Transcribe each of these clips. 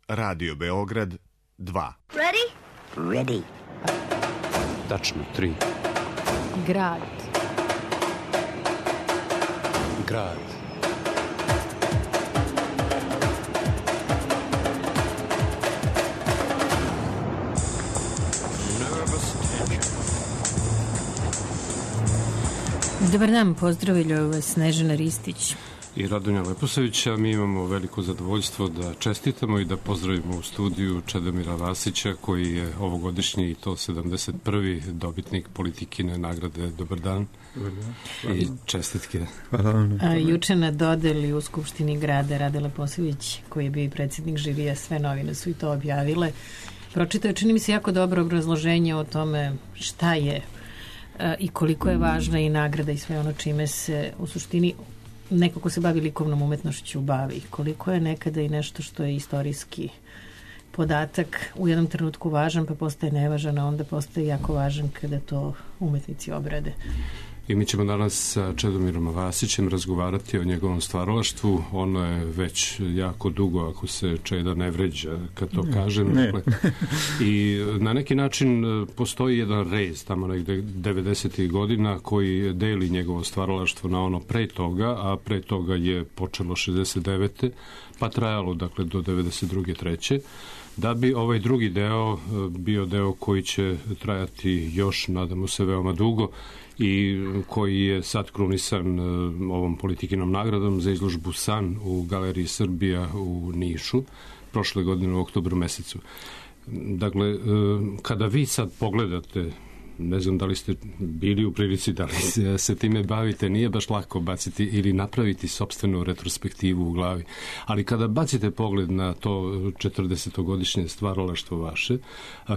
Radio Beograd 2. Ready? Ready. Tačno 3. Grad. Grad. Dobar dan, pozdravljaju vas Snežana Ristić I Radonja Leposavića. Mi imamo veliko zadovoljstvo da čestitamo i da pozdravimo u studiju Čedomira Vasića, koji je ovogodišnji i to 71. dobitnik Politikine nagrade. Dobar dan. Dobar dan. I čestitke. Hvala vam. Juče na dodeli u Skupštini grada Rade Leposavić, koji je bio i predsjednik žirija, sve novine su i to objavile. Pročitao, čini mi se, jako dobro obrazloženje o tome šta je i koliko je važna i nagrada i sve ono čime se u suštini neko ko se bavi likovnom umetnošću bavi. Koliko je nekada i nešto što je istorijski podatak u jednom trenutku važan, pa postaje nevažan, a onda postaje jako važan kada to umetnici obrade. I mi ćemo danas sa Čedomirom Vasićem razgovarati o njegovom stvaralaštvu. Ono je već jako dugo, ako se Čeda ne vređa kad to kažem. Dakle, i na neki način postoji jedan rez tamo negde 90. godina koji deli njegovo stvaralaštvo na ono pre toga, a pre toga je počelo 69. pa trajalo dakle do 92. 3. Da bi ovaj drugi deo bio deo koji će trajati još, nadamo se, veoma dugo i koji je sad krunisan ovom Politikinom nagradom za izložbu San u Galeriji Srbija u Nišu prošle godine u oktobru mesecu. Dakle, kada vi sad pogledate, ne znam da li ste bili u prilici, da li se time bavite, nije baš lako baciti ili napraviti sopstvenu retrospektivu u glavi, ali kada bacite pogled na to 40-godišnje stvaralaštvo vaše,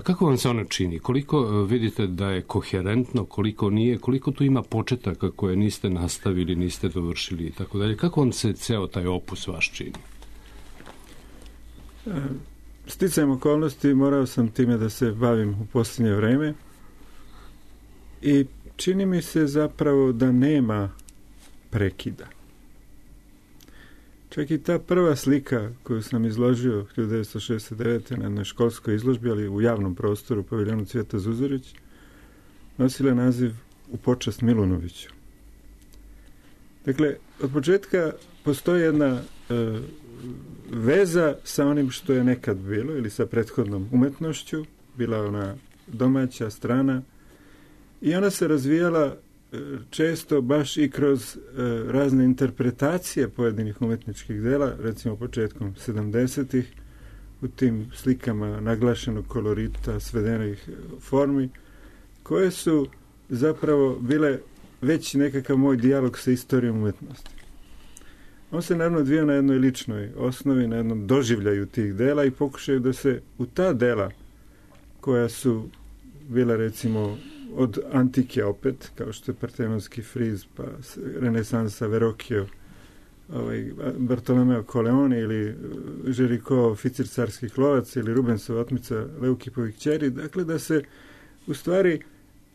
kako vam se ono čini? Koliko vidite da je koherentno, koliko nije, koliko tu ima početaka koje niste nastavili, niste dovršili i tako dalje? Kako vam se ceo taj opus vaš čini? Sticajem okolnosti morao sam time da se bavim u posljednje vreme. I čini mi se zapravo da nema prekida. Čak i ta prva slika koju sam izložio 1969. na jednoj školskoj izložbi, ali u javnom prostoru u paviljonu Cvijeta Zuzorić, nosila naziv U počast Milunoviću. Dakle, od početka postoji jedna veza sa onim što je nekad bilo ili sa prethodnom umetnošću, bila ona domaća, strana, i ona se razvijala često baš i kroz razne interpretacije pojedinih umetničkih dela, recimo početkom 70-ih, u tim slikama naglašenog kolorita, svedenih formi, koje su zapravo bile već nekakav moj dijalog sa istorijom umetnosti. On se naravno odvija na jednoj ličnoj osnovi, na jednom doživljaju tih dela i pokušaju da se u ta dela, koja su bila recimo od antike opet, kao što je Partenonski friz, pa renesansa Verrocchio, Bartolomeo Colleone ili Géricault oficir carskih lovaca ili Rubensova otmica Leukipovih kćeri, dakle da se u stvari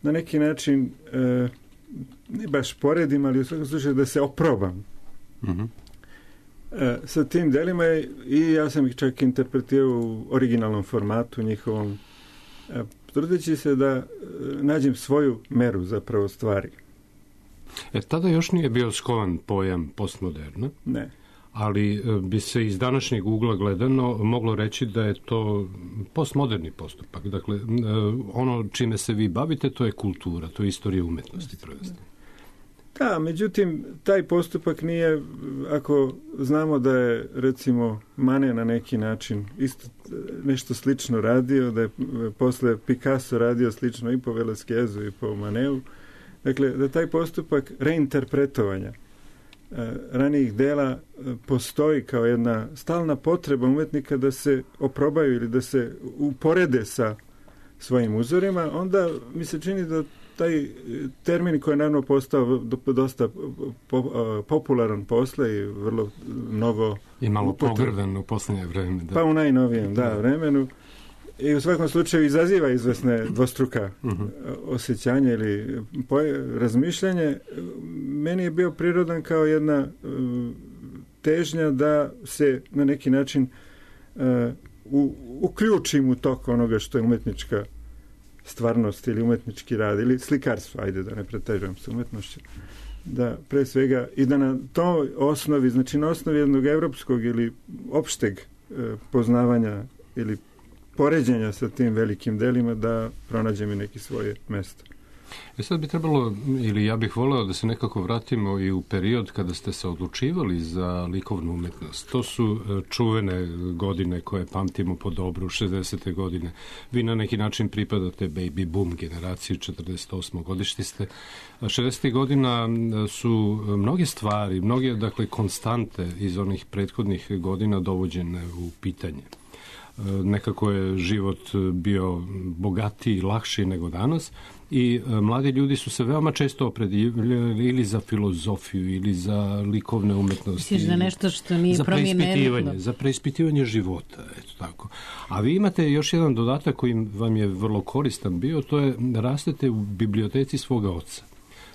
na neki način ne baš poredim, ali u svakom slučaju da se oprobam sa tim delima i ja sam ih čak interpretirao u originalnom formatu njihovom, trudeći se da nađem svoju meru zapravo stvari. Tada još nije bio skovan pojam postmoderna. Ne. Ali bi se iz današnjeg ugla gledano moglo reći da je to postmoderni postupak. Dakle, ono čime se vi bavite, to je kultura, to je istorija umetnosti. Da, međutim, taj postupak nije, ako znamo da je, recimo, Manet na neki način isto nešto slično radio, da je posle Picasso radio slično i po Velasquezu i po Manetu, dakle, da taj postupak reinterpretovanja ranijih dela postoji kao jedna stalna potreba umetnika da se oprobaju ili da se uporede sa svojim uzorima, onda mi se čini da taj termin koji je naravno postao dosta popularan posle i vrlo mnogo i malo pogrdan u posljednje vreme. Da. Pa u najnovijem vremenu i u svakom slučaju izaziva izvesne dvostruka osjećanja ili razmišljanje. Meni je bio prirodan kao jedna težnja da se na neki način uključim u tok onoga što je umetnička stvarnost ili umetnički rad ili slikarstvo, ajde da ne pretežujem sa umetnošću, da pre svega i da na toj osnovi, znači na osnovi jednog evropskog ili opšteg poznavanja ili poređenja sa tim velikim delima da pronađem i neki svoje mesto. Sad bi trebalo, ili ja bih voleo da se nekako vratimo i u period kada ste se odlučivali za likovnu umetnost. To su čuvene godine koje pamtimo po dobru, 60. godine. Vi na neki način pripadate baby boom generaciji, 48. godišti ste. 60. godina su mnoge stvari, mnoge, dakle, konstante iz onih prethodnih godina dovođene u pitanje. Nekako je život bio bogatiji i lakši nego danas i mladi ljudi su se veoma često opredjeljivali ili za filozofiju ili za likovne umetnosti. Misliš da nešto što nije promijenilo? Za preispitivanje života, eto tako. A vi imate još jedan dodatak koji vam je vrlo koristan bio, to je rastete u biblioteci svoga oca,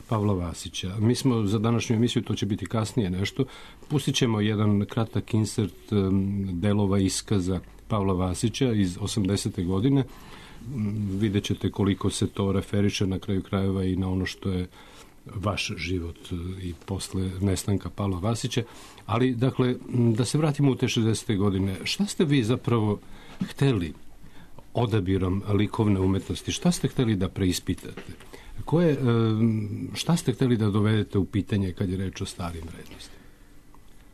Pavla Vasića. Mi smo za današnju emisiju, to će biti kasnije nešto, pustit ćemo jedan kratak insert delova iskaza Pavla Vasića iz 80. godine. Vidjet ćete koliko se to referiše na kraju krajeva i na ono što je vaš život i posle nestanka Pavla Vasića. Ali, dakle, da se vratimo u te 60. godine. Šta ste vi zapravo hteli odabirom likovne umetnosti? Šta ste hteli da preispitate? Šta ste hteli da dovedete u pitanje kad je reč o starim vrednostima?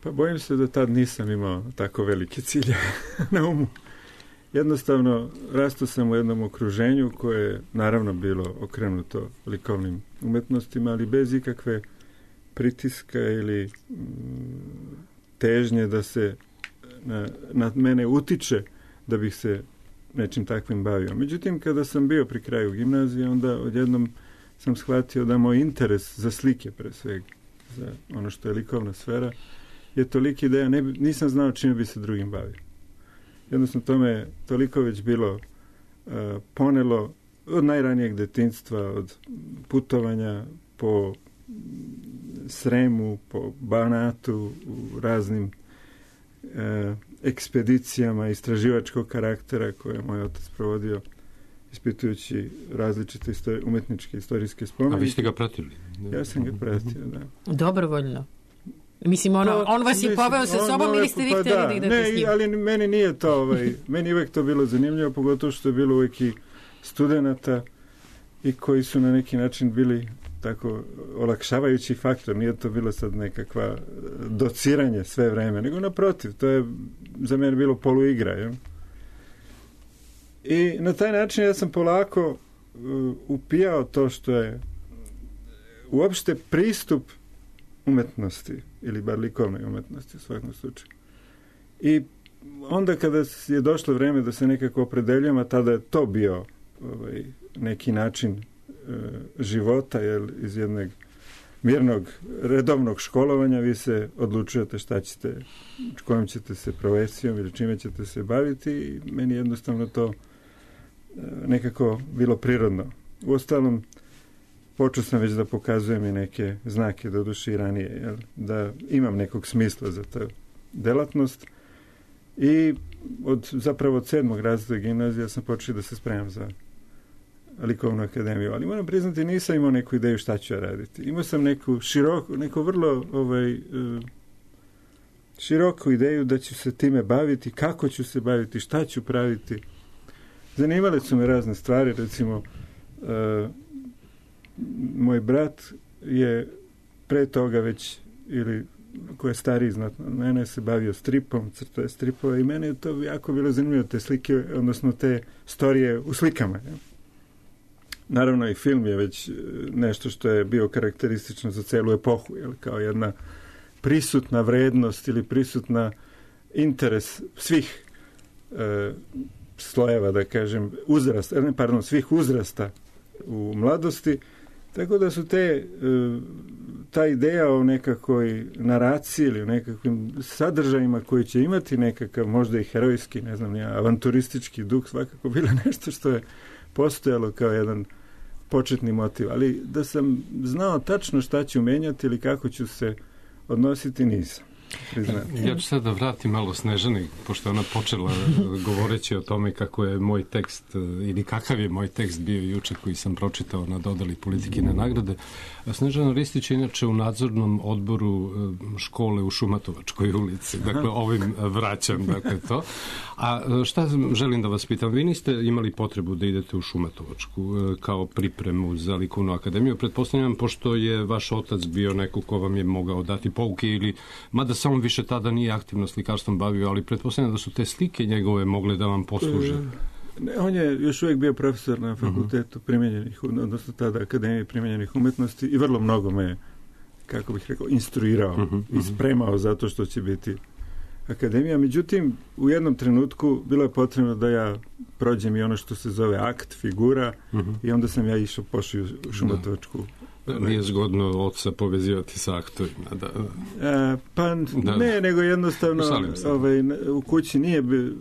Pa bojim se da tad nisam imao tako velike cilje na umu. Jednostavno, rastao sam u jednom okruženju koje je naravno bilo okrenuto likovnim umetnostima, ali bez ikakve pritiska ili težnje da se na mene utiče da bih se nečim takvim bavio. Međutim, kada sam bio pri kraju gimnazije, onda odjednom sam shvatio da moj interes za slike, pre svega, za ono što je likovna sfera, je toliki da ja nisam znao čime bi se drugim bavio. Jednostavno, to me toliko već bilo ponelo od najranijeg detinjstva, od putovanja po Sremu, po Banatu, u raznim ekspedicijama istraživačkog karaktera koje je moj otac provodio ispitujući različite umetničke istorijske spomenike. A vi ste ga pratili? Ja sam ga pratio, da. Dobrovoljno? Mislim, on vas je poveo sa sobom ili ste vi htjeli da idete s njim? Ne, ali meni nije to, meni uvek to bilo zanimljivo, pogotovo što je bilo uvek i studenata i koji su na neki način bili tako olakšavajući faktor. Nije to bilo sad nekakva dociranje sve vreme, nego naprotiv, to je za mene bilo poluigra. Je? I na taj način ja sam polako upijao to što je uopšte pristup umetnosti, ili bar likovnoj umetnosti u svakom slučaju. I onda kada je došlo vreme da se nekako opredeljujem, a tada je to bio neki način života, jer iz jednog mirnog, redovnog školovanja vi se odlučujete šta ćete, kojom ćete se profesijom ili čime ćete se baviti i meni jednostavno to nekako bilo prirodno. Uostalom, počeo sam već da pokazujem i neke znake, doduše i ranije, da imam nekog smisla za tu delatnost i od 7. razreda gimnazija sam počeo da se spremam za likovnu akademiju, ali moram priznati nisam imao neku ideju šta ću ja raditi. Imao sam neku vrlo široku ideju da ću se time baviti, kako ću se baviti, šta ću praviti. Zanimale su me razne stvari, recimo moj brat je pre toga već, ili ko je stariji znatno od mene, se bavio stripom, crtao je stripove i mene je to jako bilo zanimljivo, te slike, odnosno te storije u slikama. Ja. Naravno i film je već nešto što je bio karakteristično za celu epohu, jel, kao jedna prisutna vrednost ili prisutna interes svih slojeva, da kažem, svih uzrasta u mladosti, tako da su ta ideja o nekakvoj naraciji ili o nekakvim sadržajima koji će imati nekakav, možda i herojski, ne znam, avanturistički duh, svakako bilo nešto što je postojalo kao jedan početni motiv, ali da sam znao tačno šta ću menjati ili kako ću se odnositi, nisam. priznati. Ja ću sad da vratim malo Snežani, pošto ona počela govoreći o tome kako je moj tekst ili kakav je moj tekst bio juče koji sam pročitao na dodali Politikine nagrade. Snežana Ristić je inače u nadzornom odboru škole u Šumatovačkoj ulici. Dakle, ovim vraćam to. A šta želim da vas pitam? Vi niste imali potrebu da idete u Šumatovačku kao pripremu za likovnu akademiju. Pretpostavljam, pošto je vaš otac bio neko ko vam je mogao dati pouke ili, mada se on više tada nije aktivno slikarstvom bavio, ali pretpostavljam da su te slike njegove mogle da vam posluže. On je još uvijek bio profesor na fakultetu primijenjenih, odnosno tada Akademije primijenjenih umetnosti i vrlo mnogo me, kako bih rekao, instruirao i spremao zato što će biti akademija. Međutim, u jednom trenutku bilo je potrebno da ja prođem i ono što se zove akt, figura, i onda sam ja pošao u Šumatovačku. Nije zgodno oca povezivati sa aktorima. Ne, nego jednostavno u kući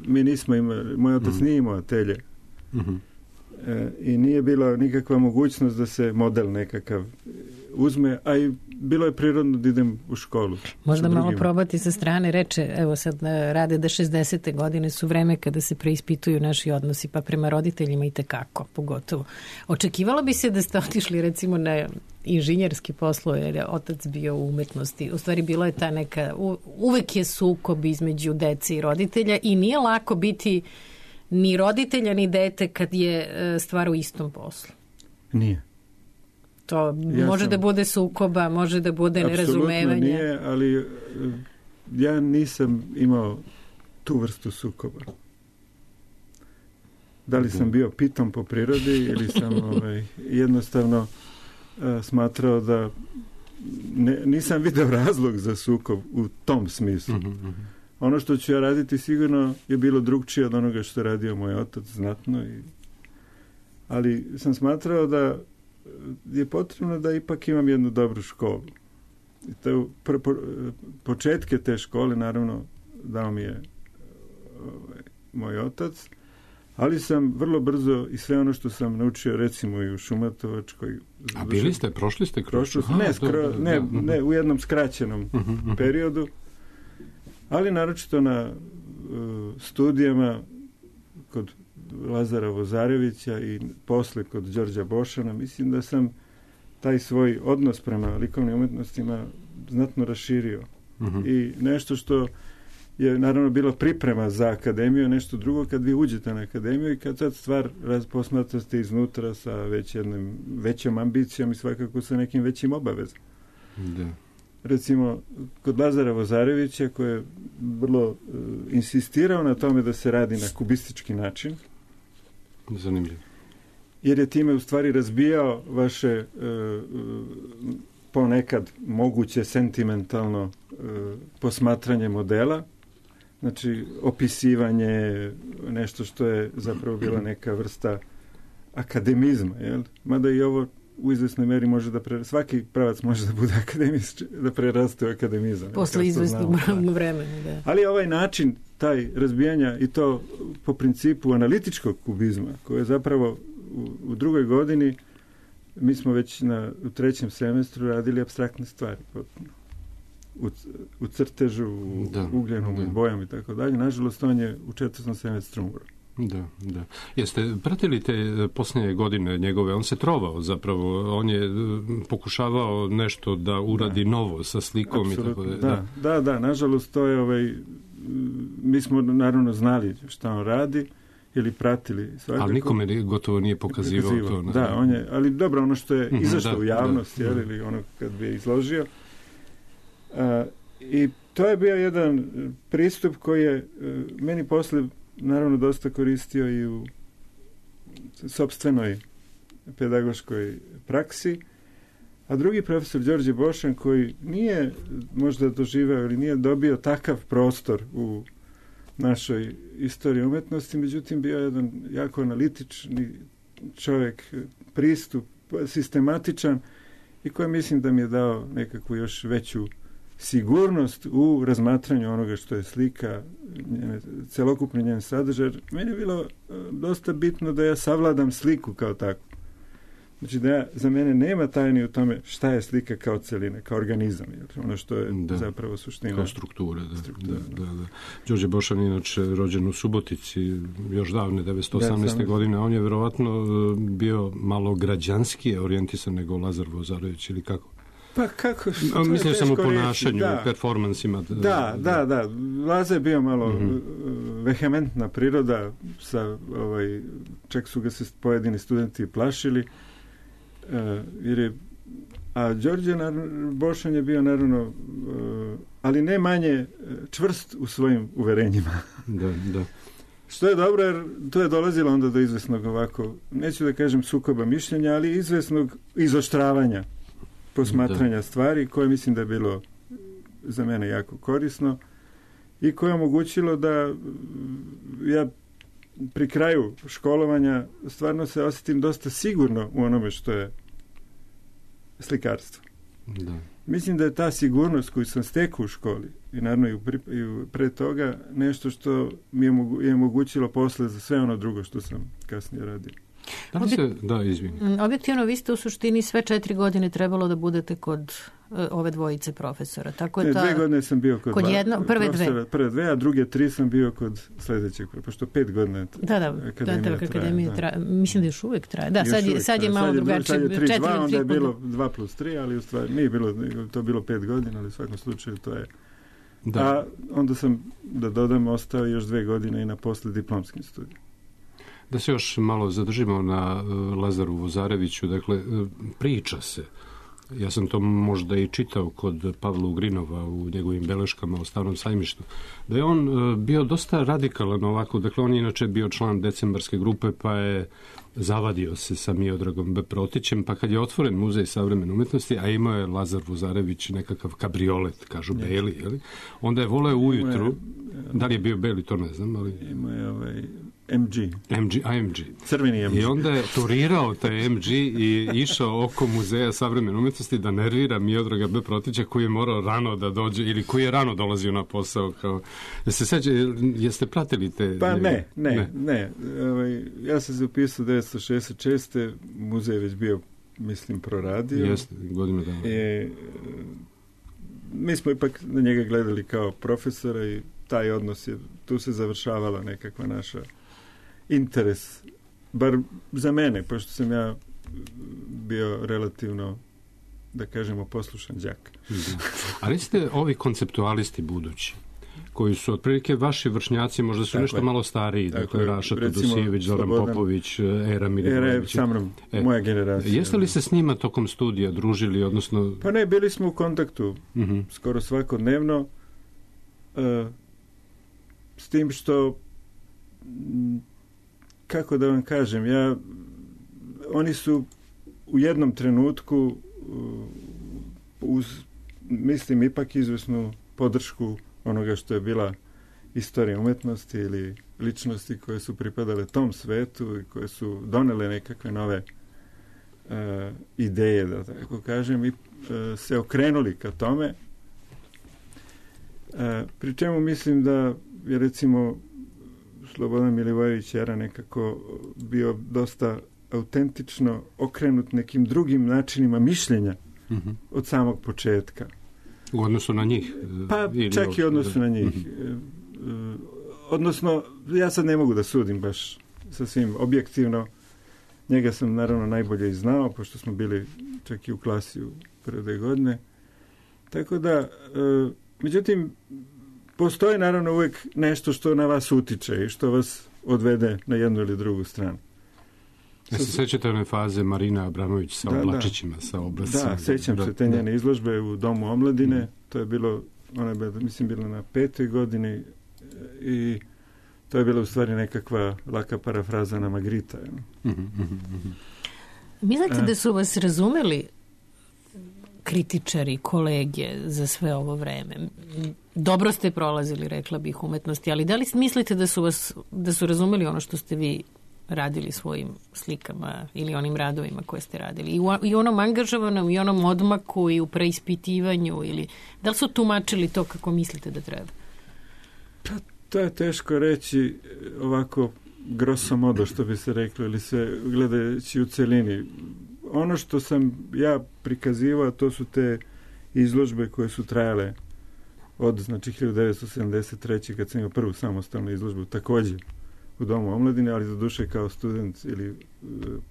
mi nismo imali, moj otac nije imao atelje. I nije bila nikakva mogućnost da se model nekakav uzme, a i bilo je prirodno da idem u školu. Možda malo probati sa strane, reče, evo sad rade da 60. godine su vreme kada se preispituju naši odnosi, pa prema roditeljima i tekako, pogotovo. Očekivalo bi se da ste otišli recimo na inženjerski poslove, jer je otac bio u umetnosti. U stvari bilo je ta neka, uvek je sukob između dece i roditelja i nije lako biti ni roditelja ni dete kad je stvar u istom poslu. Nije. To može da bude sukoba, može da bude nerazumevanja. Apsolutno nije, ali ja nisam imao tu vrstu sukoba. Da li sam bio pitom po prirodi ili sam jednostavno smatrao da nisam video razlog za sukob u tom smislu. Ono što ću ja raditi sigurno je bilo drugčije od onoga što je radio moj otac znatno. Ali sam smatrao da je potrebno da ipak imam jednu dobru školu. I to početke te škole naravno dao mi je moj otac, ali sam vrlo brzo i sve ono što sam naučio recimo i u Šumatovačkoj. A bili ste, prošli ste kroz? Ne, u jednom skraćenom periodu, ali naročito na studijama kod Lazara Vozarevića i posle kod Đorđa Bošana. Mislim da sam taj svoj odnos prema likovnim umetnostima znatno raširio. I nešto što je naravno bilo priprema za akademiju, nešto drugo kad vi uđete na akademiju i kad sad stvar posmatrate iznutra sa većom ambicijom i svakako sa nekim većim obavezom. Da. Recimo, kod Lazara Vozarevića, koji je vrlo insistirao na tome da se radi na kubistički način. Zanimljivo. Jer je time u stvari razbijao vaše ponekad moguće sentimentalno posmatranje modela, znači opisivanje, nešto što je zapravo bila neka vrsta akademizma, jel? Mada i ovo u izvesnoj meri može da svaki pravac može da bude akademist, da preraste u akademizam. Posle izvesnog vremena, da. Ali ovaj način, taj razbijanja i to po principu analitičkog kubizma, koje je zapravo u drugoj godini, mi smo već u trećem semestru radili apstraktne stvari potpuno. U crtežu, u ugljenu, u bojama i tako dalje. Nažalost, on je u četvrtom semestru umro. Da. Jeste pratili te posljednje godine njegove? On se trovao zapravo. On je pokušavao nešto da uradi novo sa slikom. Apsolutno, i tako da. Nažalost, to je mi smo naravno znali šta on radi ili pratili svakako. Ali nikome gotovo nije pokazivao to. Da, on je, ali dobro, ono što je izašlo u javnost, ili ono kad bi je izložio. I to je bio jedan pristup koji je meni posle naravno dosta koristio i u sopstvenoj pedagoškoj praksi. A drugi profesor, Đorđe Bošan, koji nije možda doživeo ili nije dobio takav prostor u našoj istoriji umetnosti, međutim bio jedan jako analitični čovjek, pristup sistematičan i koji mislim da mi je dao nekakvu još veću sigurnost u razmatranju onoga što je slika, celokupni njen sadržaj. Meni je bilo dosta bitno da ja savladam sliku kao takvu. Znači da za mene nema tajni u tome šta je slika kao celina, kao organizam, ono što je zapravo suština. Kao struktura, da. Đorđe Bošan, inače rođen u Subotici, još davne 1918. godine, on je verovatno bio malo građanski orijentisan nego Lazar Vozarević, ili kako? Pa kako? Mislim sam u ponašanju, u performansima. Da. Laza je bio malo vehementna priroda, čak su ga se pojedini studenti plašili, a Đorđe Bošan je bio naravno, ali ne manje čvrst u svojim uverenjima. Da. Što je dobro, jer to je dolazilo onda do izvesnog ovako, neću da kažem sukoba mišljenja, ali izvesnog izoštravanja posmatranja stvari, koje mislim da je bilo za mene jako korisno i koje je omogućilo da ja pri kraju školovanja stvarno se osjetim dosta sigurno u onome što je slikarstvo. Da. Mislim da je ta sigurnost koju sam stekao u školi i naravno i pre toga nešto što mi je omogućilo posle za sve ono drugo što sam kasnije radio. Objektivno, vi ste u suštini sve 4 godine trebalo da budete kod ove dvojice profesora. Tako je 2 godine sam bio kod prve dve, a druge 3 sam bio kod sledećeg, pošto 5 godina akademija traje. Mislim da još uvijek traje. Da, sad je malo drugačije. Sad je 3-2, onda je bilo 2+3, ali u stvari nije bilo, to bilo 5 godina, ali u svakom slučaju to je. Da. A onda sam, da dodam, ostao još 2 godine i na posle diplomskim studijima. Da se još malo zadržimo na Lazaru Vozareviću, dakle, priča se, ja sam to možda i čitao kod Pavla Ugrinova u njegovim beleškama o Starom sajmištu, da je on bio dosta radikalan ovako, dakle, on je inače bio član decembarske grupe, pa je zavadio se sa Miodragom B. Protićem, pa kad je otvoren Muzej savremene umetnosti, a imao je Lazar Vozarević nekakav kabriolet, kažu beli, jeli? Onda je voleo ujutru, da li je bio beli, to ne znam, ali... Imao je AMG. Crveni MG. I onda je turirao taj MG i išao oko Muzeja savremene umetnosti da nervira Miodraga B. Protića, koji je morao rano da dođe, ili koji je rano dolazio na posao. Se seća, jeste pratili te... Pa ne. Ja sam se upisao 1966. Muzej je već bio, mislim, proradio. Jeste, godinu dana. Mi smo ipak na njega gledali kao profesora i taj odnos je, tu se završavala nekakva naša interes, bar za mene, pošto sam ja bio relativno, da kažemo, poslušan đak. Ali ste ovi konceptualisti budući, koji su otprilike vaši vršnjaci, možda su nešto malo stariji, dakle Raša Todosijević, Zoran Popović, Era Milivojević. Sa mnom, moja generacija. Jeste li se s njima tokom studija družili, odnosno... Pa ne, bili smo u kontaktu skoro svakodnevno, s tim što, kako da vam kažem, oni su u jednom trenutku uz, mislim, ipak izvesnu podršku onoga što je bila istorija umetnosti ili ličnosti koje su pripadale tom svetu i koje su donele nekakve nove ideje, da tako kažem, i se okrenuli ka tome. Pri čemu mislim da je, recimo, Slobodan Milivojević Era nekako bio dosta autentično okrenut nekim drugim načinima mišljenja od samog početka. U odnosu na njih? Pa čak i odnosu na njih. Odnosno, ja sad ne mogu da sudim baš sasvim objektivno. Njega sam naravno najbolje i znao, pošto smo bili čak i u klasi u prve 2 godine. Tako da, međutim, postoji naravno uvijek nešto što na vas utiče i što vas odvede na jednu ili drugu stranu. Ja se sećate one faze Marina Abramović sa oblačićima, sa obrascima? Da, sećam se te njene izložbe u Domu omladine. To je bilo, ona je mislim bila na 5. godini i to je bila u stvari nekakva laka parafraza na Magrita. Mislite da su vas razumeli kritičari, kolege za sve ovo vreme? Dobro ste prolazili, rekla bih, umetnosti, ali da li mislite da su razumeli ono što ste vi radili svojim slikama ili onim radovima koje ste radili? I u onom angažovanom, i onom odmaku, i u preispitivanju, ili da li su tumačili to kako mislite da treba? Pa, to je teško reći ovako grosso modo, što bi se reklo, ili se gledajući u celini. ono što sam ja prikazivao, to su te izložbe koje su trajale od, znači, 1973. kad sam imao prvu samostalnu izložbu, također u Domu omladine, ali doduše kao student ili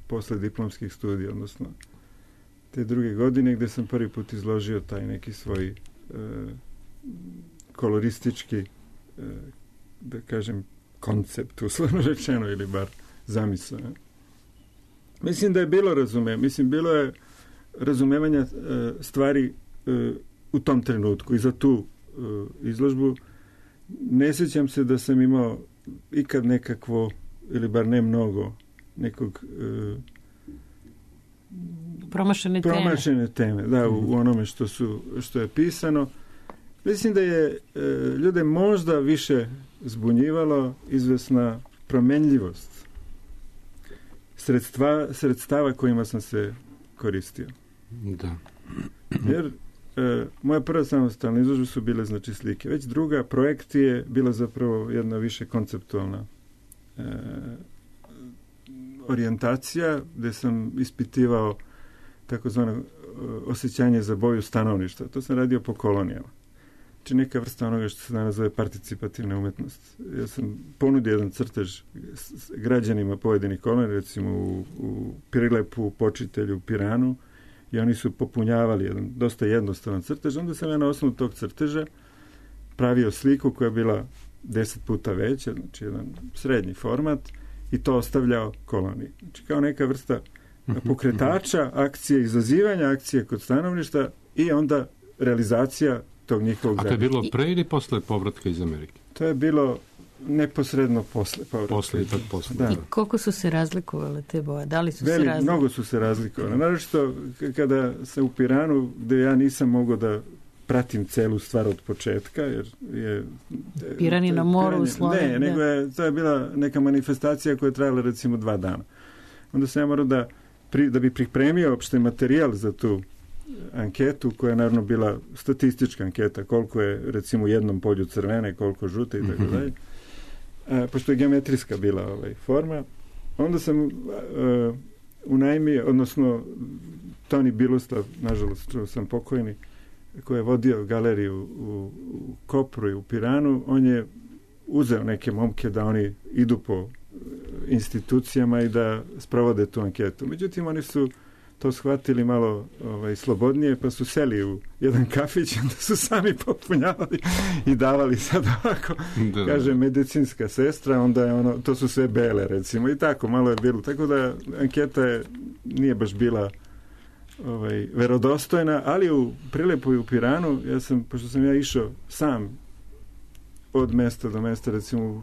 posle diplomskih studija, odnosno te druge godine, gdje sam prvi put izložio taj neki svoj koloristički, da kažem, koncept, uslovno rečeno, ili bar zamisao. Mislim da je bilo bilo je razumevanja stvari u tom trenutku i za tu izložbu. Ne sjećam se da sam imao ikad nekakvo, ili bar ne mnogo, nekog promašene teme, da, u onome što je pisano. Mislim da je ljude možda više zbunjivalo izvesna promenljivost sredstava kojima sam se koristio. Da. Jer moja prva samostalna izložba su bile, znači, slike. Već druga, projekt je bila zapravo jedna više konceptualna orijentacija, gdje sam ispitivao takozvano osjećanje za boju stanovništva. To sam radio po kolonijama. Znači neka vrsta onoga što se danas zove participativna umetnost. Ja sam ponudio jedan crtež građanima pojedinih kolonija, recimo u Prilepu, Počitelju, Piranu, i oni su popunjavali jedan dosta jednostavan crtež. Onda sam ja na osnovu tog crteža pravio sliku koja je bila 10 puta veća, znači jedan srednji format, i to ostavljao koloniji. Znači kao neka vrsta pokretača akcije, izazivanja akcije kod stanovništva i onda realizacija tog njihovog grada. A to je bilo pre ili posle povratka iz Amerike? To je bilo neposredno posle povratka. Posle. Da. I koliko su se razlikovale te boje? Da li su se razlikovale? Mnogo su se razlikovale. Naravno kada sam u Piranu, gde ja nisam mogao da pratim celu stvar od početka, jer je... Piran je na moru u Sloveniji. Ne, nego to je bila neka manifestacija koja je trajala recimo 2 dana. Onda sam ja morao da bi pripremio opšte materijal za tu anketu, koja je naravno bila statistička anketa, koliko je recimo u jednom polju crvene, koliko žute i tako dalje. Pošto je geometrijska bila forma, onda sam unajmio, odnosno Toni Biluslav, nažalost čuo sam pokojni, koji je vodio galeriju u Kopru i u Piranu, on je uzeo neke momke da oni idu po institucijama i da sprovode tu anketu. Međutim, oni su to shvatili malo slobodnije, pa su seli u jedan kafić, onda su sami popunjavali i davali sad ovako, kaže medicinska sestra, onda je to su sve bele, recimo, i tako, malo je bilo. Tako da anketa nije baš bila verodostojna, ali u Prilepu i u Piranu, pošto sam ja išao sam od mesta do mesta, recimo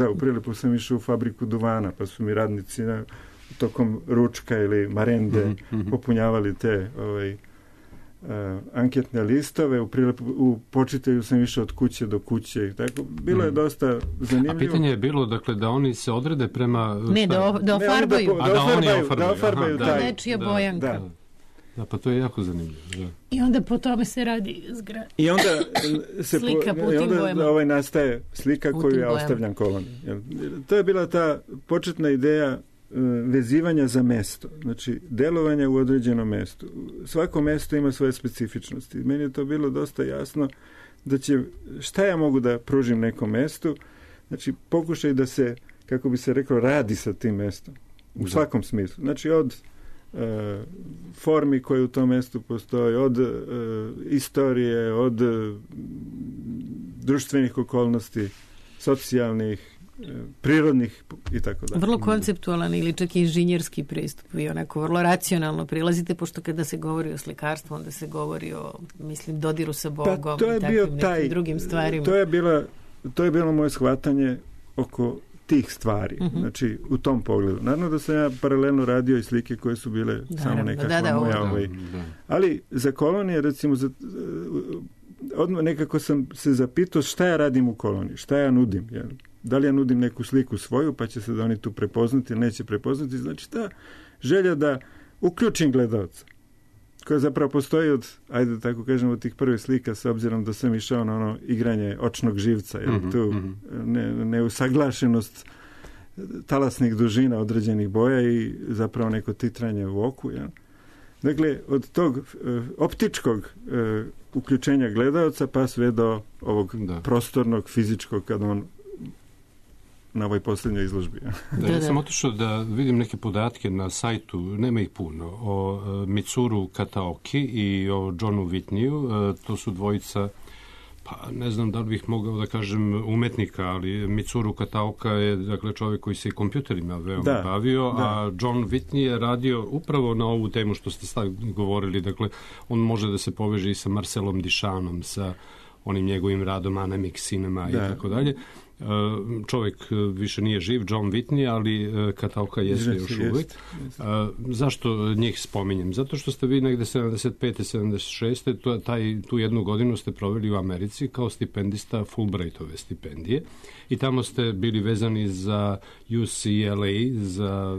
u Prilepu sam išao u fabriku duvana, pa su mi radnici tokom ručka ili marende popunjavali te anketne listove. U Počitelju sam išao od kuće do kuće i tako. Bilo je dosta zanimljivo. A pitanje je bilo, dakle, da oni se odrede prema... Ne, da ofarbaju. Da ofarbaju taj. Nečija bojanka. Da, pa to je jako zanimljivo. Da. I onda po tome se radi zgrada. I onda nastaje slika koju ja ostavljam koloniji. To je bila ta početna ideja vezivanja za mesto, znači delovanja u određenom mestu. Svako mesto ima svoje specifičnosti. Meni je to bilo dosta jasno da šta ja mogu da pružim nekom mestu, znači pokušaj da se, kako bi se reklo, radi sa tim mestom. U svakom smislu. Znači od formi koje u tom mestu postoji, od istorije, od društvenih okolnosti, socijalnih, prirodnih i tako dalje. Vrlo konceptualan ili čak inženjerski pristup i onako vrlo racionalno prilazite, pošto kada se govori o slikarstvu, onda se govori o, mislim, dodiru sa Bogom i takvim nekim drugim stvarima. To je bilo moje shvatanje oko tih stvari, znači u tom pogledu. Naravno da sam ja paralelno radio i slike koje su bile samo nekakva moja ali za kolonije, recimo, odmah nekako sam se zapitao šta ja radim u koloniji, šta ja nudim, jer da li ja nudim neku sliku svoju, pa će se da oni tu prepoznati ili neće prepoznati. Znači ta želja da uključim gledalca, koja zapravo postoji od, ajde da tako kažemo, od tih prvih slika, s obzirom da sam išao na ono igranje očnog živca, jer tu neusaglašenost talasnih dužina određenih boja i zapravo neko titranje u oku. Ja. Dakle, od tog optičkog uključenja gledaoca pa sve do ovog prostornog, fizičkog, kad on na ovoj posljednjoj izložbi. Ja sam otišao da vidim neke podatke na sajtu, nema ih puno, o Mitsuru Kataoki i o Johnu Whitneyu. To su dvojica, pa ne znam da li bih mogao da kažem umetnika, ali Mitsuru Kataoka je dakle čovjek koji se i kompjuterima veoma bavio, a John Whitney je radio upravo na ovu temu što ste govorili. Dakle, on može da se poveže i sa Marcelom Duchampom, sa onim njegovim radom Anemic Cinema i tako dalje. Čovjek više nije živ, John Whitney, ali Kataoka jeste još uvijek. Zašto njih spominjem? Zato što ste vi negde 75. 76. Tu jednu godinu ste proveli u Americi kao stipendista Fulbrightove stipendije i tamo ste bili vezani za UCLA, za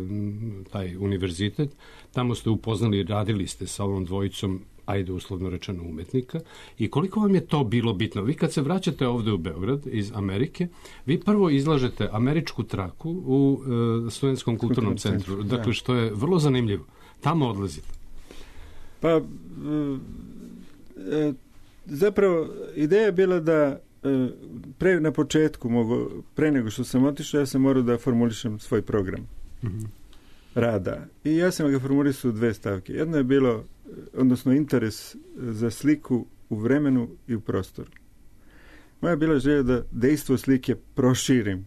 taj univerzitet. Tamo ste upoznali, radili ste sa ovom dvojicom, ajde uslovno rečeno, umetnika. I koliko vam je to bilo bitno? Vi kad se vraćate ovde u Beograd iz Amerike, vi prvo izlažete američku traku u Studentskom kulturnom centru. Dakle, što je vrlo zanimljivo. Tamo odlazite. Pa, zapravo, ideja je bila da na početku, pre nego što sam otišao, ja sam morao da formulišem svoj program rada. I ja sam ga formulisao u 2 stavke. Jedno je bilo, odnosno interes za sliku u vremenu i u prostoru. Moja je bila želja da dejstvo slike proširim.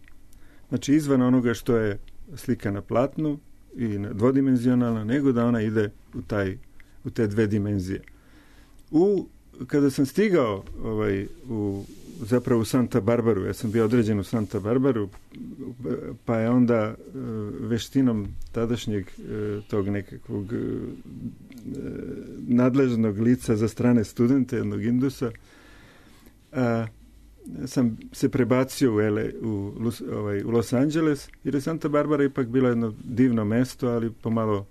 Znači, izvan onoga što je slika na platnu i dvodimenzionalna, nego da ona ide u te 2 dimenzije. Kada sam stigao zapravo u Santa Barbaru, ja sam bio određen u Santa Barbaru, pa je onda veštinom tadašnjeg tog nekakvog nadležnog lica za strane studente, jednog Indusa, sam se prebacio u Los Angeles, jer je Santa Barbara ipak bila jedno divno mesto, ali pomalo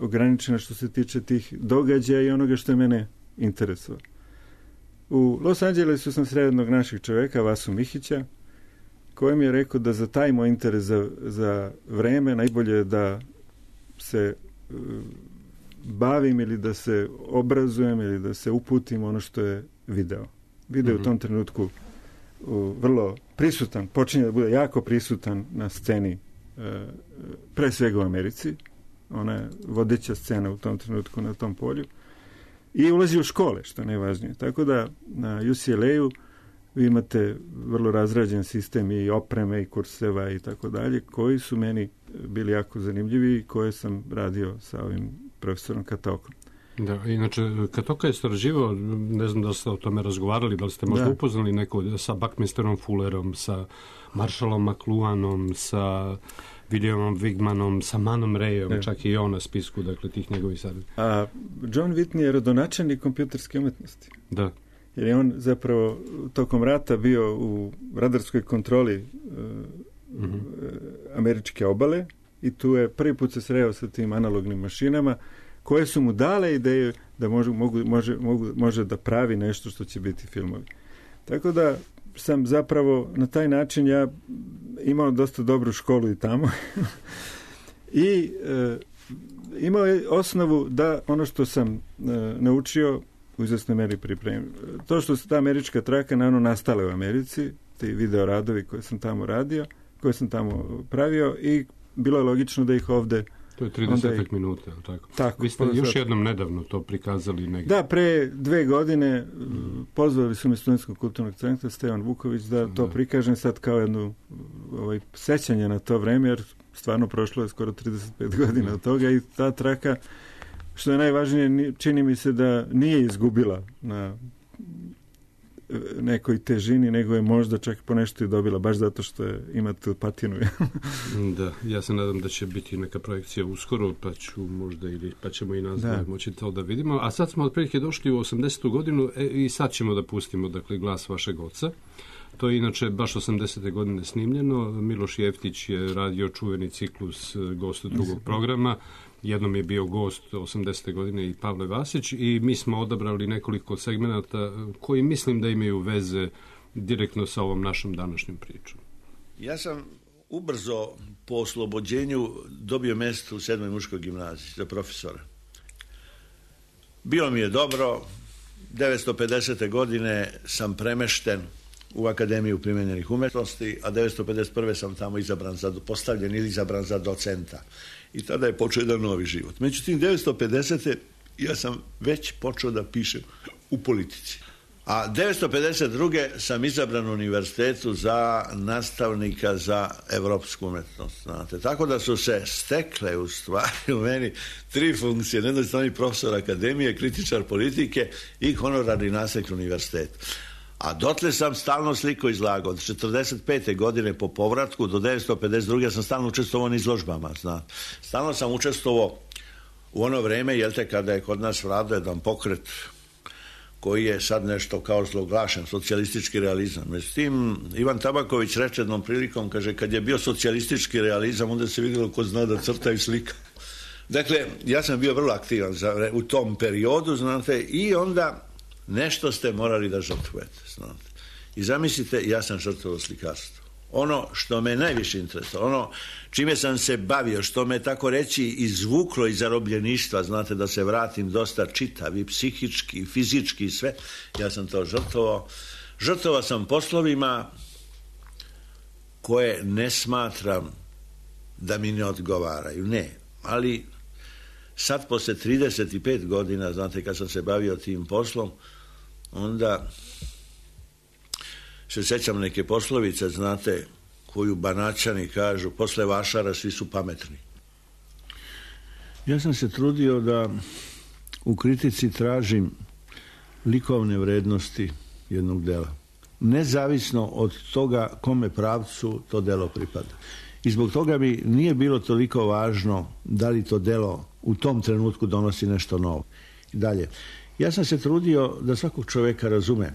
ograničeno što se tiče tih događaja i onoga što je mene interesovalo. U Los Angelesu sam sreo jednog našeg čoveka, Vasu Mihića, koji mi je rekao da za taj moj interes za vreme najbolje je da se bavim ili da se obrazujem ili da se uputim ono što je video. Video je u tom trenutku vrlo prisutan, počinje da bude jako prisutan na sceni, pre svega u Americi. Ona je vodeća scena u tom trenutku na tom polju. I ulazi u škole, što je najvažnije. Tako da na UCLA-u vi imate vrlo razrađen sistem i opreme i kurseva i tako dalje, koji su meni bili jako zanimljivi i koje sam radio sa ovim profesorom Kataokom. Da, inače, Kataoka je istraživao, ne znam da ste o tome razgovarali, da li ste možda upoznali neko sa Buckminsterom Fullerom, sa Marshallom McLuhanom, sa Williamom Wigmanom, sa Manom Rayom, čak i on na spisku, dakle, tih njegovih sadržaja. A John Whitney je rodonačelnik kompjuterske umetnosti. Da. Jer je on zapravo tokom rata bio u radarskoj kontroli američke obale i tu je prvi put se sreo sa tim analognim mašinama koje su mu dale ideju da može da pravi nešto što će biti filmovi. Tako da sam zapravo na taj način ja imao dosta dobru školu i tamo i imao je osnovu da ono što sam naučio u izvesnoj meri pripremio. To što se ta američka traka naravno nastale u Americi, ti video radovi koje sam tamo radio, koje sam tamo pravio i bilo je logično da ih ovde. To je 30 minuta, tako? Tako. Vi ste još jednom nedavno to prikazali negdje. Da, pre 2 godine pozvali su me Studentskog kulturnog centra Stevan Vuković da to prikažem sad kao jednu sećanje na to vreme, jer stvarno prošlo je skoro 35 godina od toga i ta traka, što je najvažnije, čini mi se da nije izgubila na nekoj težini, nego je možda čak po nešto i dobila, baš zato što ima tu patinu. Da, ja se nadam da će biti neka projekcija uskoro, pa ćemo i nas moći to da vidimo. A sad smo otprilike došli u 80. godinu i sad ćemo da pustimo, dakle, glas vašeg oca. To je inače baš 80. godine snimljeno. Miloš Jeftić je radio čuveni ciklus Gost drugog programa. Jednom je bio gost 80. godine i Pavle Vasić i mi smo odabrali nekoliko segmenata koji mislim da imaju veze direktno sa ovom našom današnjom pričom. Ja sam ubrzo po oslobođenju dobio mjesto u 7. muškoj gimnaziji za profesora. Bilo mi je dobro, 1950. godine sam premešten u Akademiju primenjenih umjetnosti, a 1951. sam tamo postavljen ili izabran za docenta. I tada je počeo jedan novi život. Međutim, 1950. ja sam već počeo da pišem u politici. A 1952. sam izabran u univerzitetu za nastavnika za evropsku umjetnost. Znate. Tako da su se stekle u stvari u meni 3 funkcije. Na jednoj strani profesor akademije, kritičar politike i honorarni nastavnik univerziteta. A dotle sam stalno sliko izlagao. Od 1945. godine po povratku do 1952. sam stalno učestvovao na izložbama. Znate. Stalno sam učestvovao u ono vreme, kada je kod nas vladao jedan pokret koji je sad nešto kao zloglašen, socijalistički realizam. Međutim, Ivan Tabaković reče jednom prilikom, kaže, kad je bio socijalistički realizam, onda se vidjelo ko zna da crta i slika. Dakle, ja sam bio vrlo aktivan u tom periodu, znate, i onda nešto ste morali da žrtvujete, znate. I zamislite, ja sam žrtvovao slikarstvo. Ono što me najviše interesovalo, ono čime sam se bavio, što me tako reći izvuklo iz zarobljeništva, znate, da se vratim dosta čitav i psihički i fizički i sve, ja sam to žrtvovao. Žrtvovao sam poslovima koje ne smatram da mi ne odgovaraju, ne, ali sad posle 35 godina, znate, kad sam se bavio tim poslom, onda se sjećam neke poslovice, znate, koju Banaćani kažu, posle vašara svi su pametni. Ja sam se trudio da u kritici tražim likovne vrednosti jednog dela. Nezavisno od toga kome pravcu to delo pripada. I zbog toga mi nije bilo toliko važno da li to delo u tom trenutku donosi nešto novo. I dalje. Ja sam se trudio da svakog čovjeka razumem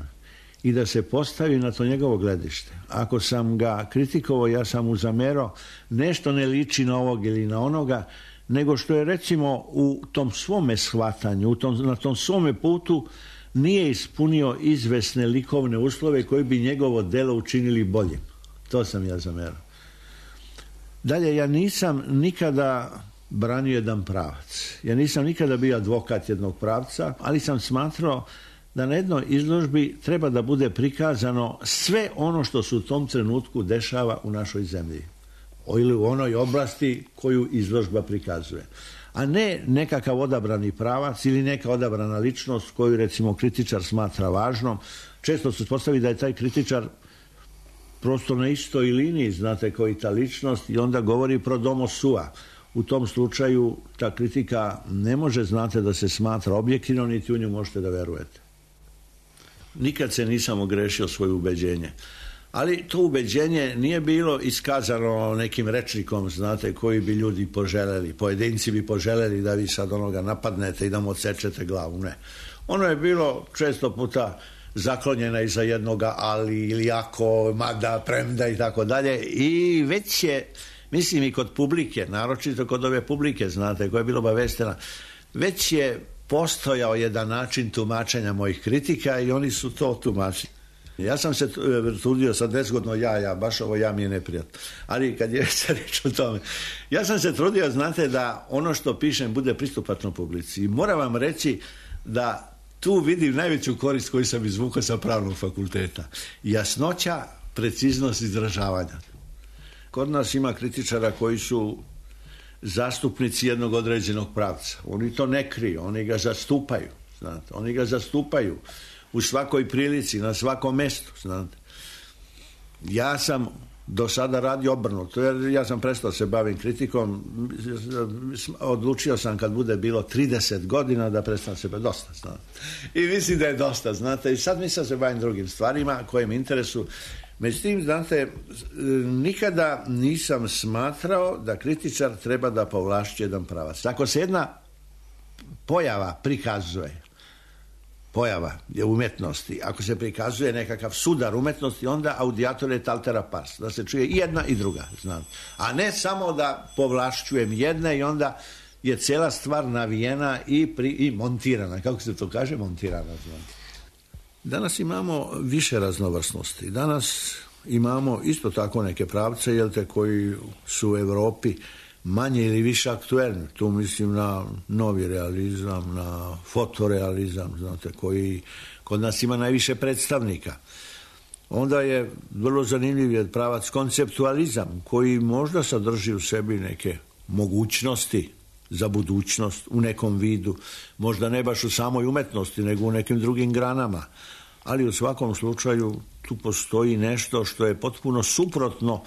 i da se postavi na to njegovo gledište. Ako sam ga kritikovao, ja sam mu zamerao, nešto ne liči na ovog ili na onoga, nego što je recimo u tom svome shvatanju, na tom svome putu nije ispunio izvesne likovne uslove koji bi njegovo delo učinili boljim. To sam ja zamerao. Dalje, ja nisam nikada branio jedan pravac. Ja nisam nikada bio advokat jednog pravca, ali sam smatrao da na jednoj izložbi treba da bude prikazano sve ono što se u tom trenutku dešava u našoj zemlji ili u onoj oblasti koju izložba prikazuje. A ne nekakav odabrani pravac ili neka odabrana ličnost koju recimo kritičar smatra važnom. Često se postavi da je taj kritičar prosto na istoj liniji, znate, koji ta ličnost i onda govori pro domo sua. U tom slučaju ta kritika ne može, znate, da se smatra objektivno, niti u nju možete da verujete. Nikad se nisam ogrešio svoje ubeđenje. Ali to ubeđenje nije bilo iskazano nekim rečnikom, znate, koji bi ljudi poželjeli. Pojedinci bi poželjeli da vi sad onoga napadnete i da mu odsečete glavu. Ne. Ono je bilo često puta zaklonjena iza jednoga ali ili ako, mada, premda i tako dalje. I već je, mislim i kod publike, naročito kod ove publike, znate, koja je bila obaveštena, već je postojao jedan način tumačenja mojih kritika i oni su to tumačili. Ja sam se trudio, sad nezgodno baš ovo ja mi je neprijatno, ali kad je se reč o tome, ja sam se trudio, znate, da ono što pišem bude pristupačno publici. I moram vam reći da tu vidim najveću korist koju sam izvukao sa pravnog fakulteta. Jasnoća, preciznost izražavanja. Kod nas ima kritičara koji su zastupnici jednog određenog pravca. Oni to ne kriju, oni ga zastupaju. Znate, oni ga zastupaju u svakoj prilici, na svakom mjestu. Znate. Ja sam do sada radio obrnuto, jer ja sam prestao se bavim kritikom, odlučio sam kad bude bilo 30 godina da prestanem se baviti, dosta, znate. I mislim da je dosta, znate, i sad mislim da se bavim drugim stvarima koje mi interesuju. Međutim, znate, nikada nisam smatrao da kritičar treba da povlašći jedan pravac. Ako se jedna pojava prikazuje, pojava je umjetnosti, ako se prikazuje nekakav sudar umjetnosti, onda audiator et altera pars, da se čuje i jedna i druga, znate. A ne samo da povlašćujem jedne i onda je cijela stvar navijena i montirana, kako se to kaže, montirana, znate. Danas imamo više raznovrsnosti. Danas imamo isto tako neke pravce, koji su u Europi manje ili više aktuelni. Tu mislim na novi realizam, na fotorealizam, znate, koji kod nas ima najviše predstavnika. Onda je vrlo zanimljiv pravac konceptualizam, koji možda sadrži u sebi neke mogućnosti za budućnost u nekom vidu, možda ne baš u samoj umetnosti, nego u nekim drugim granama. Ali u svakom slučaju tu postoji nešto što je potpuno suprotno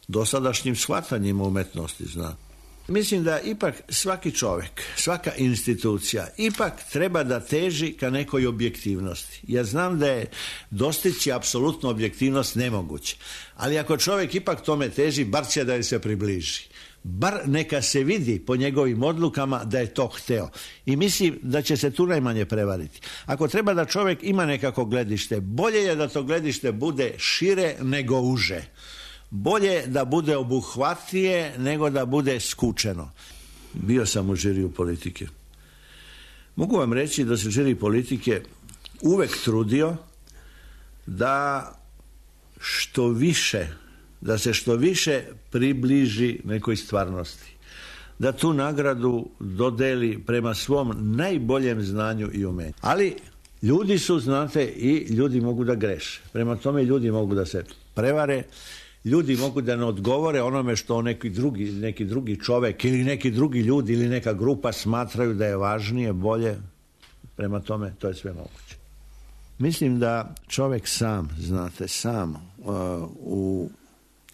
dosadašnjim shvatanjima umetnosti, znate. Mislim da ipak svaki čovjek, svaka institucija ipak treba da teži ka nekoj objektivnosti. Ja znam da je dostići apsolutnu objektivnost nemoguće, ali ako čovjek ipak tome teži, bar će da je se približi. Bar neka se vidi po njegovim odlukama da je to hteo. I mislim da će se tu najmanje prevariti. Ako treba da čovjek ima nekako gledište, bolje je da to gledište bude šire nego uže. Bolje da bude obuhvatnije nego da bude skučeno. Bio sam u žiriju politike. Mogu vam reći da se žiri politike uvek trudio da se što više približi nekoj stvarnosti. Da tu nagradu dodeli prema svom najboljem znanju i umenju. Ali ljudi su, znate, i ljudi mogu da greše. Prema tome ljudi mogu da se prevare, ljudi mogu da ne odgovore onome što neki drugi čovek ili neki drugi ljudi ili neka grupa smatraju da je važnije, bolje. Prema tome to je sve moguće. Mislim da čovek sam, znate, u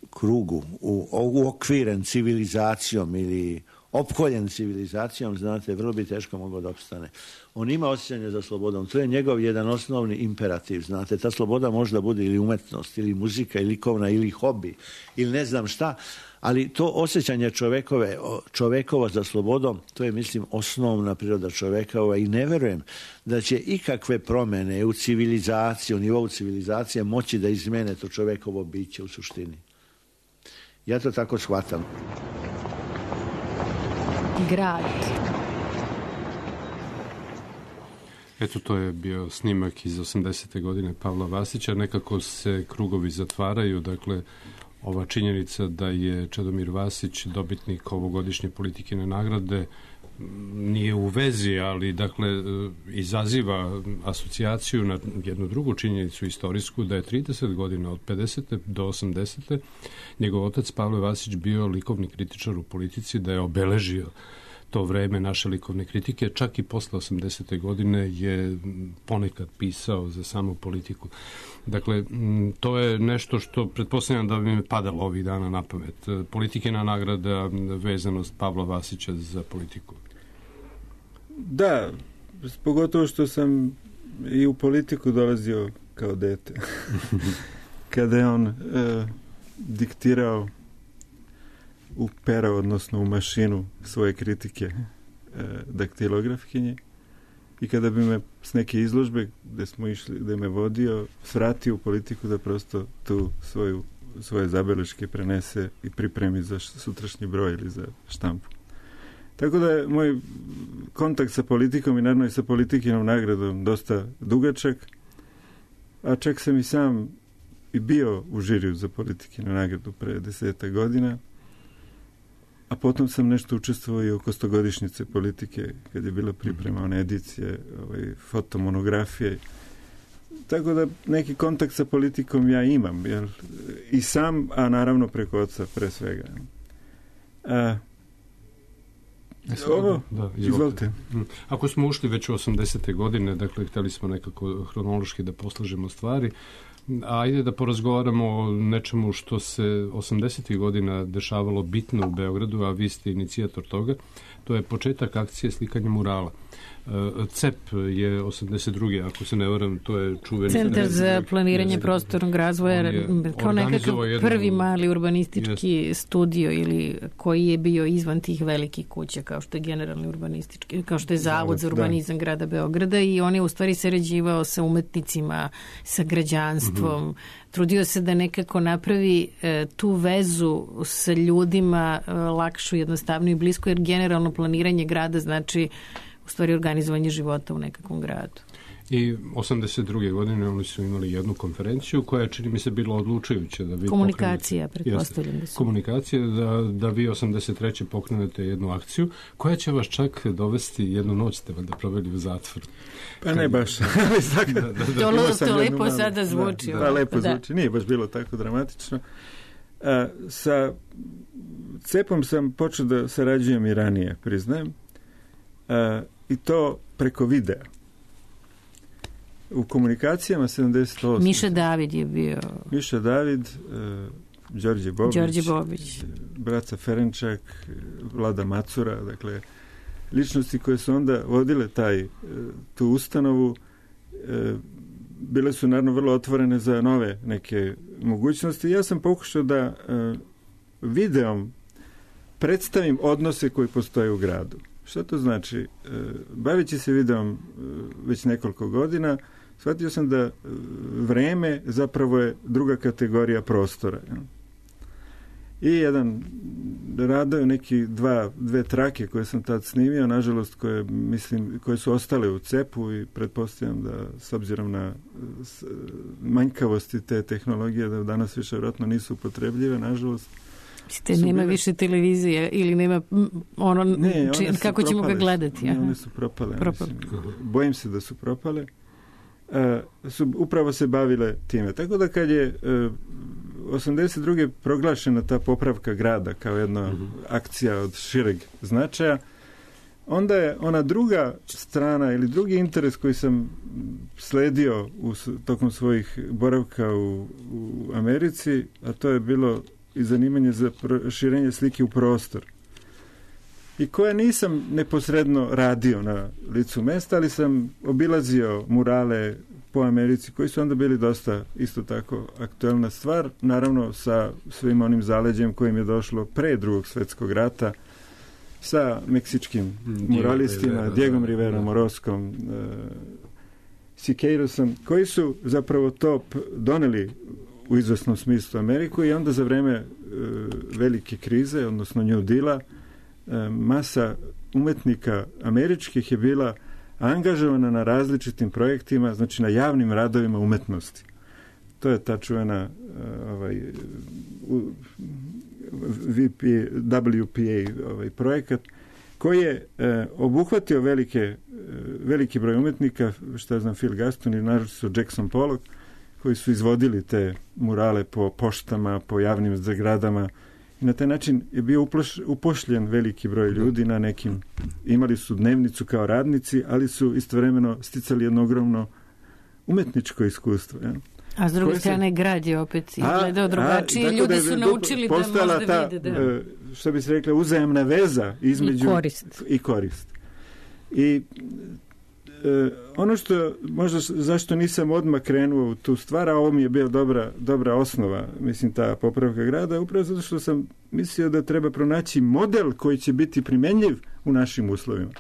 krugu, uokviren civilizacijom ili opkoljen civilizacijom, znate, vrlo bi teško mogao da opstane. On ima osjećanje za slobodom. To je njegov jedan osnovni imperativ, znate. Ta sloboda možda bude ili umetnost, ili muzika, ili likovna, ili hobi, ili ne znam šta, ali to osjećanje čovekovo za slobodom, to je, mislim, osnovna priroda čovekova i ne verujem da će ikakve promene u civilizaciji, u nivou civilizacije moći da izmene to čovekovo biće u suštini. Ja to tako shvatam. Grad. Eto, to je bio snimak iz 80. godine Pavla Vasića. Nekako se krugovi zatvaraju, dakle, ova činjenica da je Čedomir Vasić dobitnik ovogodišnje Politikine nagrade nije u vezi, ali dakle izaziva asocijaciju na jednu drugu činjenicu istorijsku, da je 30 godina od 50. do 80. njegov otac Pavle Vasić bio likovni kritičar u politici, da je obeležio to vreme naše likovne kritike, čak i posle 80. godine je ponekad pisao za samu politiku. Dakle, to je nešto što pretpostavljam da bi me padalo ovih dana na pamet. Politikina nagrada, vezanost Pavla Vasića za politiku. Da, pogotovo što sam i u politiku dolazio kao dete. Kada je on diktirao u pero, odnosno u mašinu svoje kritike daktilografkinje, i kada bi me s neke izložbe gde smo išli, gde me vodio, svratio u politiku da prosto tu svoje zabeleške prenese i pripremi za sutrašnji broj ili za štampu. Tako da je moj kontakt sa politikom i naravno i sa Politikinom nagradom dosta dugačak, a čak sam i sam i bio u žiriju za Politikinu nagradu pre 10 godina, a potom sam nešto učestvovao i oko 100-godišnjice politike, kad je bila priprema one edicije, fotomonografije. Tako da neki kontakt sa politikom ja imam, jer i sam, a naravno preko oca pre svega. Izvolite. Ako smo ušli već u 80. godine, dakle, hteli smo nekako hronološki da poslažemo stvari, ajde da porazgovaramo o nečemu što se 80. godina dešavalo bitno u Beogradu, a vi ste inicijator toga. To je početak akcije slikanja murala. CEP je 82. ako se ne varam, to je čuveni Centar za planiranje prostornog razvoja, kao nekakav prvi mali urbanistički studio ili koji je bio izvan tih velikih kuća, kao što je generalni urbanistički, kao što je Zavod za urbanizam grada Beograda, i on je u stvari sarađivao sa umetnicima, sa građanstvom, trudio se da nekako napravi tu vezu sa ljudima lakšu, jednostavniju i blisko, jer generalno planiranje grada znači u stvari organizovanje života u nekakvom gradu. I 82. godine oni su imali jednu konferenciju koja je, čini mi se, bila odlučujuća da vi komunikacija, pretpostavljam da su. Komunikacija, da vi 83. pokrenete jednu akciju koja će vas čak dovesti, jednu noć ste valjda proveli u zatvoru. Pa ne baš. To lepo sada zvuči. Da, lepo zvuči. Nije baš bilo tako dramatično. Sa CEP-om sam počeo da sarađujem i ranije, priznajem. I to preko videa. U komunikacijama 78. Miša David je bio. Miša David, Đorđe Bobić, Braca Ferenčak, Vlada Macura, dakle, ličnosti koje su onda vodile tu ustanovu, bile su naravno vrlo otvorene za nove neke mogućnosti. Ja sam pokušao da videom predstavim odnose koji postoje u gradu. Šta to znači? Baveći se videom već nekoliko godina, shvatio sam da vreme zapravo je druga kategorija prostora. I jedan radio, neki dve trake koje sam tad snimio, nažalost koje su ostale u CEP-u i pretpostavljam da s obzirom na manjkavosti te tehnologije da danas više vjerojatno nisu upotrebljive, nažalost. Nema više televizije ili nema kako ćemo ga gledati? Ne, one su propale. Bojim se da su propale. Upravo se bavile time. Tako da kad je 82. proglašena ta popravka grada kao jedna akcija od šireg značaja, onda je ona druga strana ili drugi interes koji sam sledio tokom svojih boravka u Americi, a to je bilo i zanimanje za širenje slike u prostor. I koje nisam neposredno radio na licu mesta, ali sam obilazio murale po Americi, koji su onda bili dosta isto tako aktuelna stvar, naravno sa svim onim zaleđem kojim je došlo pre Drugog svjetskog rata, sa meksičkim muralistima, Diegom Riverom, Orozcom, Siqueirosom, koji su zapravo to doneli u izvesnom smislu Ameriku i onda za vreme velike krize, odnosno New Deala, masa umetnika američkih je bila angažovana na različitim projektima, znači na javnim radovima umetnosti. To je ta čuvena WPA projekat koji je obuhvatio veliki broj umetnika, što znam, Phil Gaston i naročito Jackson Pollock, koji su izvodili te murale po poštama, po javnim zgradama i na taj način je bio upošljen veliki broj ljudi na nekim, imali su dnevnicu kao radnici, ali su istovremeno sticali jedno ogromno umetničko iskustvo. Ja. A s druge strane grad je opet izgledao drugačije, ljudi su naučili da možda vide. Što bi se rekla, uzajamna veza između i korist. I ono što možda zašto nisam odmah krenuo u tu stvar, a ovo mi je bio dobra osnova, mislim, ta popravka grada, upravo zato što sam mislio da treba pronaći model koji će biti primenjiv u našim uslovima.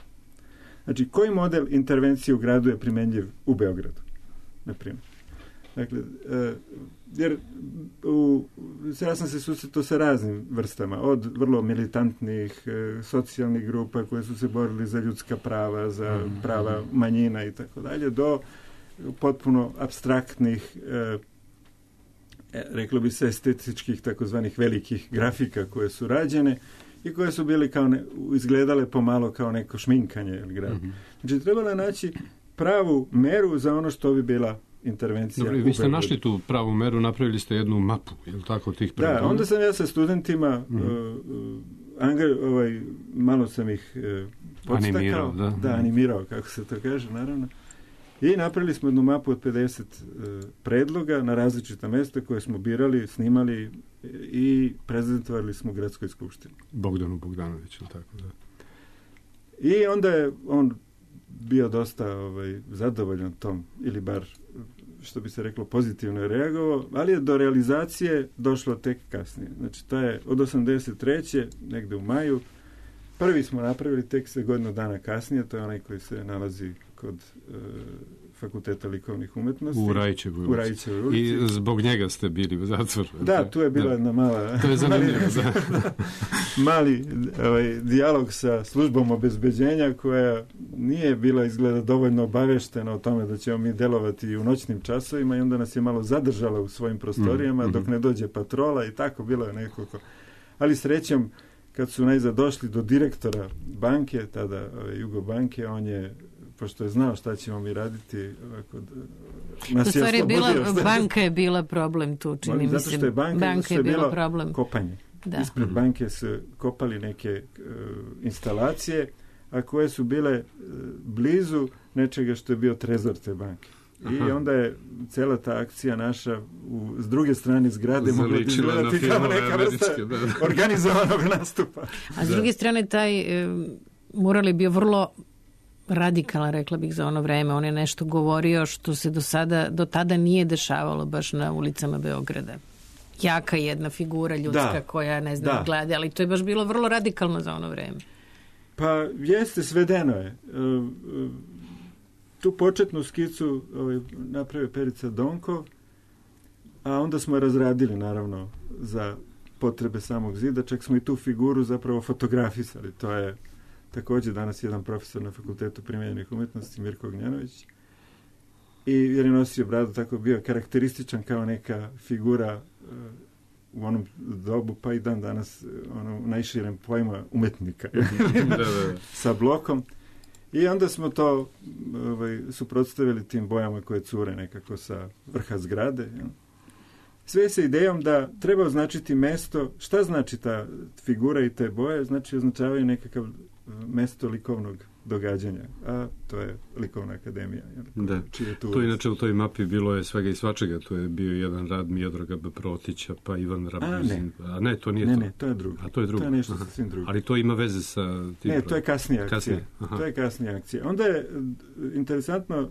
Znači, koji model intervencije u gradu je primenjiv u Beogradu, na primjer. Dakle, jer ja sam se susretao sa raznim vrstama, od vrlo militantnih socijalnih grupa koje su se borili za ljudska prava, za prava manjina i tako dalje, do potpuno apstraktnih, reklo bi se, estetičkih takozvanih velikih grafika koje su rađene i koje su bili izgledale pomalo kao neko šminkanje grada. Znači, trebalo je naći pravu meru za ono što bi bila intervencija. Dobro, vi ste našli tu pravu meru, napravili ste jednu mapu, je li tako, tih predmeta? Da, onda sam ja sa studentima malo sam ih podstakao. Animirao, kako se to kaže, naravno. I napravili smo jednu mapu od 50 predloga na različita mesta koje smo birali, snimali i prezentovali smo u Gradskoj skupštini. Bogdanu Bogdanoviću, tako da. I onda je on bio dosta zadovoljan tom, ili bar, što bi se reklo, pozitivno je reagovao, ali je do realizacije došlo tek kasnije. Znači, to je od 83. negde u maju. Prvi smo napravili tek se godinu dana kasnije, to je onaj koji se nalazi kod Fakulteta likovnih umetnosti. U Rajićevoj ulici. I zbog njega ste bili u zatvoru. Da, tu je bila jedna mala... To je zanimljivo, mali dijalog sa službom obezbeđenja koja nije bila izgleda dovoljno obaveštena o tome da ćemo mi delovati i u noćnim časovima i onda nas je malo zadržala u svojim prostorijama dok ne dođe patrola i tako bilo je nekoliko. Ali srećom, kad su najzad došli do direktora banke, tada Jugobanke, on je, pošto je znao šta ćemo mi raditi, nas je oslobodio. Banka je bila problem tu, čini mi se. Zato što je banka je bilo problem. Kopanje. Da. Ispred banke su kopali neke instalacije, a koje su bile blizu nečega što je bio trezor te banke. I onda je cela ta akcija naša s druge strane zgrade mogla izgledati kao neka vrsta organizovanog nastupa. A s druge strane taj mural je bio vrlo radikalan, rekla bih, za ono vreme. On je nešto govorio što se do tada nije dešavalo baš na ulicama Beograda. Jaka jedna figura ljudska koja, ne znam, gleda, ali to je baš bilo vrlo radikalno za ono vreme. Pa jeste, svedeno je. Tu početnu skicu napravio Perica Donkov, a onda smo je razradili, naravno, za potrebe samog zida. Čak smo i tu figuru zapravo fotografisali. To je također danas jedan profesor na Fakultetu primenjenih umetnosti, Mirko Ognjanović. I jer je nosio bradu, tako bio karakterističan kao neka figura u onom dobu, pa i dan danas u najširem pojma umetnika. Sa blokom. I onda smo to suprotstavili tim bojama koje cure nekako sa vrha zgrade. Sve sa idejom da treba označiti mesto. Šta znači ta figura i te boje? Znači označavaju nekakav mesto likovnog događanja, a to je Likovna akademija. Da, to inače u toj mapi bilo je svega i svačega, to je bio jedan rad Miodraga Protića, pa Ivan Rabuzin. A ne, to nije to. Ne, to je drugo. A to je drugo. To je nešto sasvim drugo. Ali to ima veze sa tim. Ne, to je kasnija akcija. To je kasnija akcija. Onda je interesantno,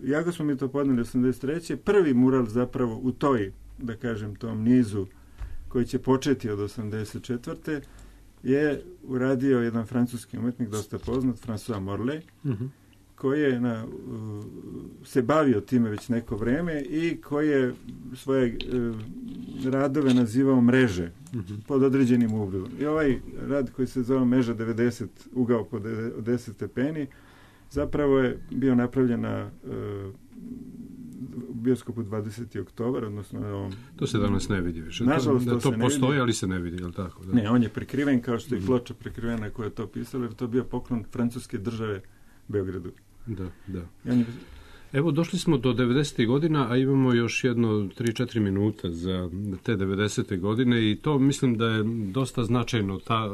jako smo mi to podneli 83. Prvi mural zapravo u toj, da kažem, tom nizu koji će početi od 84. je uradio jedan francuski umetnik, dosta poznat, François Morlet, koji je se bavio time već neko vreme i koji je svoje radove nazivao mreže pod određenim ugledom. I ovaj rad koji se zove Meža 90, ugao po 10 stepeni, zapravo je bio napravljen na bioskopu 20. oktobar, odnosno na ovom... To se danas ne vidi više. Nažalost, to postoji, ali se ne vidi, je li tako? Da? Ne, on je prekriven kao što je ploča prekrivena koja je to pisala, jer to je bio poklon francuske države Beogradu. Da. Evo, došli smo do 90. godina, a imamo još jedno 3-4 minuta za te 90. godine i to mislim da je dosta značajno, ta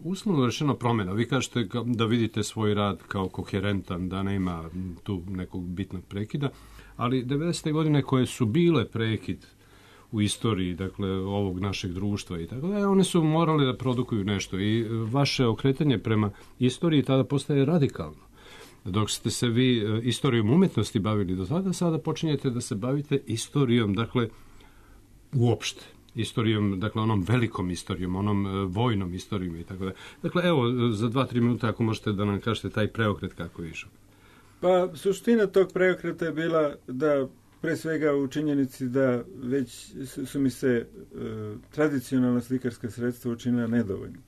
uslovno rečeno promjena. Vi kažete da vidite svoj rad kao koherentan, da nema tu nekog bitnog prekida, ali 90. godine koje su bile prekid u istoriji, dakle, ovog našeg društva i tako da, one su morale da produkuju nešto i vaše okretanje prema istoriji tada postaje radikalno. Dok ste se vi istorijom umetnosti bavili do tada, sada počinjete da se bavite istorijom, dakle, uopšte. Istorijom, dakle, onom velikom istorijom, onom vojnom istorijom i tako da. Dakle, evo, za 2-3 minuta ako možete da nam kažete taj preokret kako je išao. Pa, suština tog preokreta je bila da, pre svega u činjenici da već su mi se tradicionalna slikarska sredstva učinila nedovoljno.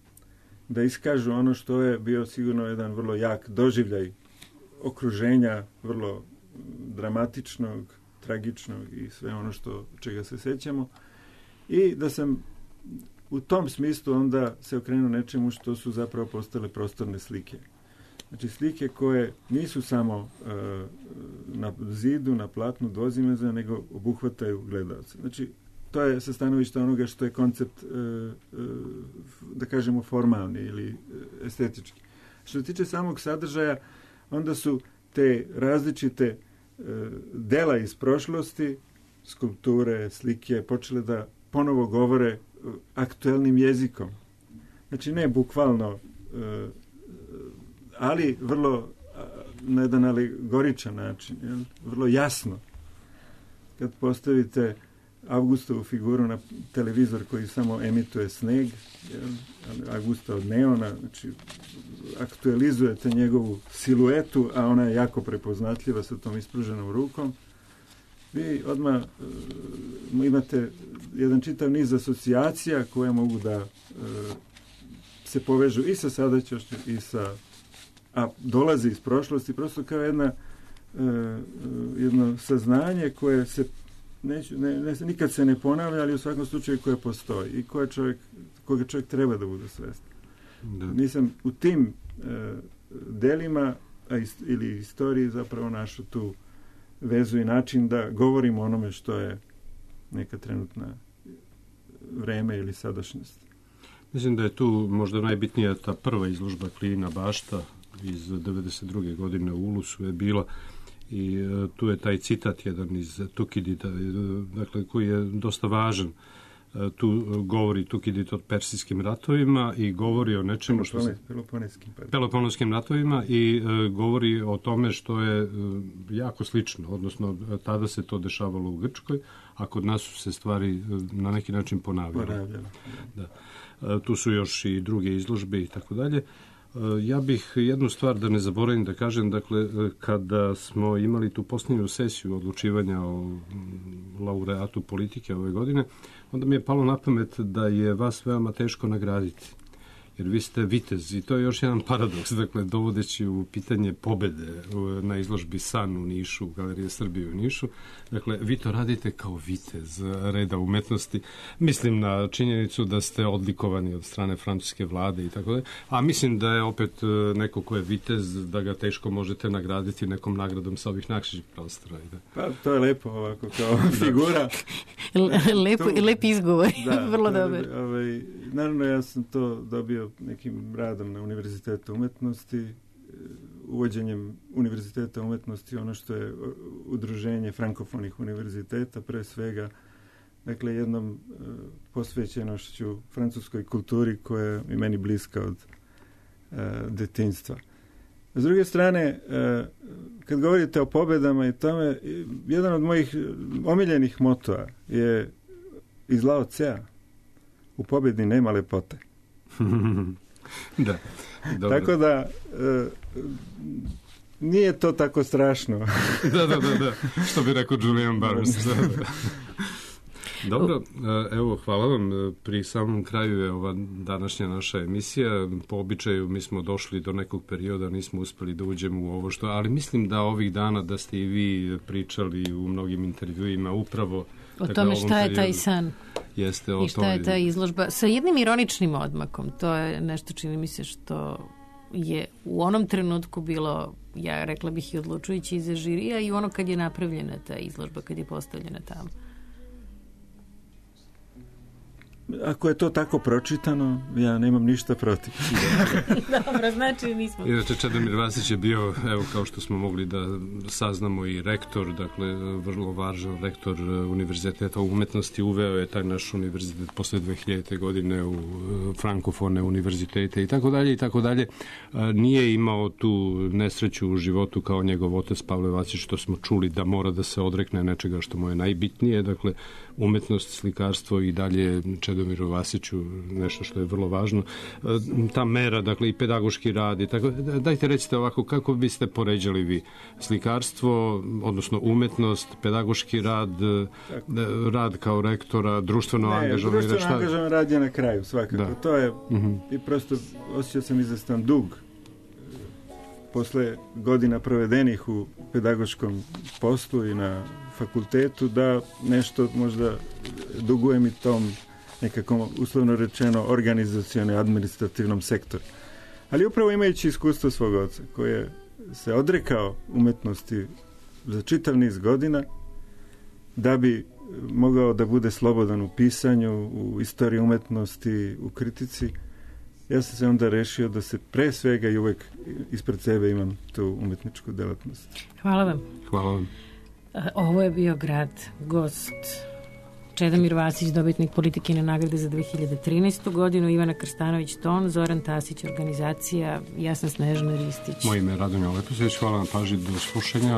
Da iskažu ono što je bio sigurno jedan vrlo jak doživljaj okruženja, vrlo dramatičnog, tragičnog i sve ono čega se sećamo. I da sam u tom smislu onda se okrenuo nečemu što su zapravo postale prostorne slike. Znači slike koje nisu samo na zidu, na platnu dvozimeza, nego obuhvataju gledalce. Znači, to je sa stanovišta onoga što je koncept, da kažemo, formalni ili estetički. Što se tiče samog sadržaja, onda su te različite dela iz prošlosti, skulpture, slike, počele da ponovo govore aktuelnim jezikom. Znači, ne bukvalno, ali vrlo na jedan alegoričan način, vrlo jasno. Kad postavite Augustovu figuru na televizor koji samo emituje sneg, Augusta od neona, znači aktualizujete njegovu siluetu, a ona je jako prepoznatljiva sa tom ispruženom rukom. Vi odmah imate jedan čitav niz asocijacija koje mogu da se povežu i sa sadašnjošću i sa, a dolazi iz prošlosti, prosto kao jedno saznanje koje se nikad se ne ponavlja, ali u svakom slučaju koje postoji i koga čovjek treba da bude svestan. Nisam u tim delima ili istoriji zapravo našao tu vezu i način da govorimo o onome što je neka trenutna vreme ili sadašnjost. Mislim da je tu možda najbitnija ta prva izložba Klijina bašta iz 92. godine u Ulusu je bila i tu je taj citat jedan iz Tukidida, dakle, koji je dosta važan. Tu govori Tukidid o persijskim ratovima i govori o nečemu što se... Peloponeskim ratovima i govori o tome što je jako slično, odnosno tada se to dešavalo u Grčkoj, a kod nas su se stvari na neki način ponavljale. Da. Tu su još i druge izložbe i tako dalje. Ja bih jednu stvar da ne zaboravim da kažem, dakle, kada smo imali tu posljednju sesiju odlučivanja o laureatu politike ove godine, onda mi je palo na pamet da je vas veoma teško nagraditi. Jer vi ste vitez i to je još jedan paradoks, dakle, dovodeći u pitanje pobede na izložbi San u Nišu, Galerije Srbije u Nišu. Dakle, vi to radite kao vitez reda umetnosti. Mislim na činjenicu da ste odlikovani od strane francuske vlade i tako dalje. A mislim da je opet neko ko je vitez, da ga teško možete nagraditi nekom nagradom sa ovih naših prostora. Pa, to je lepo ovako kao figura. Lep izgovor, vrlo dobar. Naravno, ja sam to dobio nekim radom na Univerzitetu umetnosti, uvođenjem Univerziteta umetnosti, ono što je udruženje frankofonih univerziteta, pre svega, dakle, jednom posvećenošću francuskoj kulturi koja je i meni bliska od detinjstva. S druge strane, kad govorite o pobedama i tome, jedan od mojih omiljenih motoa je iz Lao Tsea: u pobjedi nema lepote. Da. Dobro. Tako da nije to tako strašno. Da. Što bi rekao Julian Barnes. Dobro, evo, hvala vam. Pri samom kraju je ova današnja naša emisija. Po običaju mi smo došli do nekog perioda, nismo uspeli da uđemo u ovo što, ali mislim da ovih dana da ste i vi pričali u mnogim intervjuima upravo o tome šta je taj san i šta je ta izložba. Sa jednim ironičnim odmakom. To je nešto, čini mi se, što je u onom trenutku bilo, ja rekla bih, i odlučujući i za žirija i ono kad je napravljena ta izložba, kad je postavljena tamo. Ako je to tako pročitano, ja nemam ništa protiv. Dobro, znači nismo. Inače, Čedomir Vasić je bio, evo, kao što smo mogli da saznamo, i rektor, dakle, vrlo važan rektor Univerziteta umetnosti. Uveo je taj naš univerzitet posle 2000. godine u frankofone univerzitete i tako dalje i tako dalje. Nije imao tu nesreću u životu kao njegov otac Pavle Vasić, što smo čuli da mora da se odrekne nečega što mu je najbitnije, dakle, umetnost, slikarstvo i dalje Čedomiru Vasiću nešto što je vrlo važno. Ta mera, dakle, i pedagoški rad i tako. Dajte recite ovako, kako biste poređali vi slikarstvo, odnosno umetnost, pedagoški rad, rad kao rektora, društveno angažovan? Društveno angažovan rad je na kraju, svakako. Da. To je, i prosto osjećao sam izvestan dug posle godina provedenih u pedagoškom poslu i na fakultetu, da nešto možda dugujem i tom nekako, uslovno rečeno, organizacijono i administrativnom sektoru. Ali upravo imajući iskustvo svog oca, koji je se odrekao umetnosti za čitav niz godina, da bi mogao da bude slobodan u pisanju, u istoriji umetnosti, u kritici, ja sam se onda rešio da se pre svega i uvek ispred sebe imam tu umetničku delatnost. Hvala vam. Hvala vam. Ovo je bio Grad, gost Čedomir Vasić, dobitnik Politikine nagrade za 2013. godinu, Ivana Krstanović ton, Zoran Tasić organizacija, ja sam Snežana Ristić. Moje ime je Radomir Leposević, hvala na pažnji, do slušanja.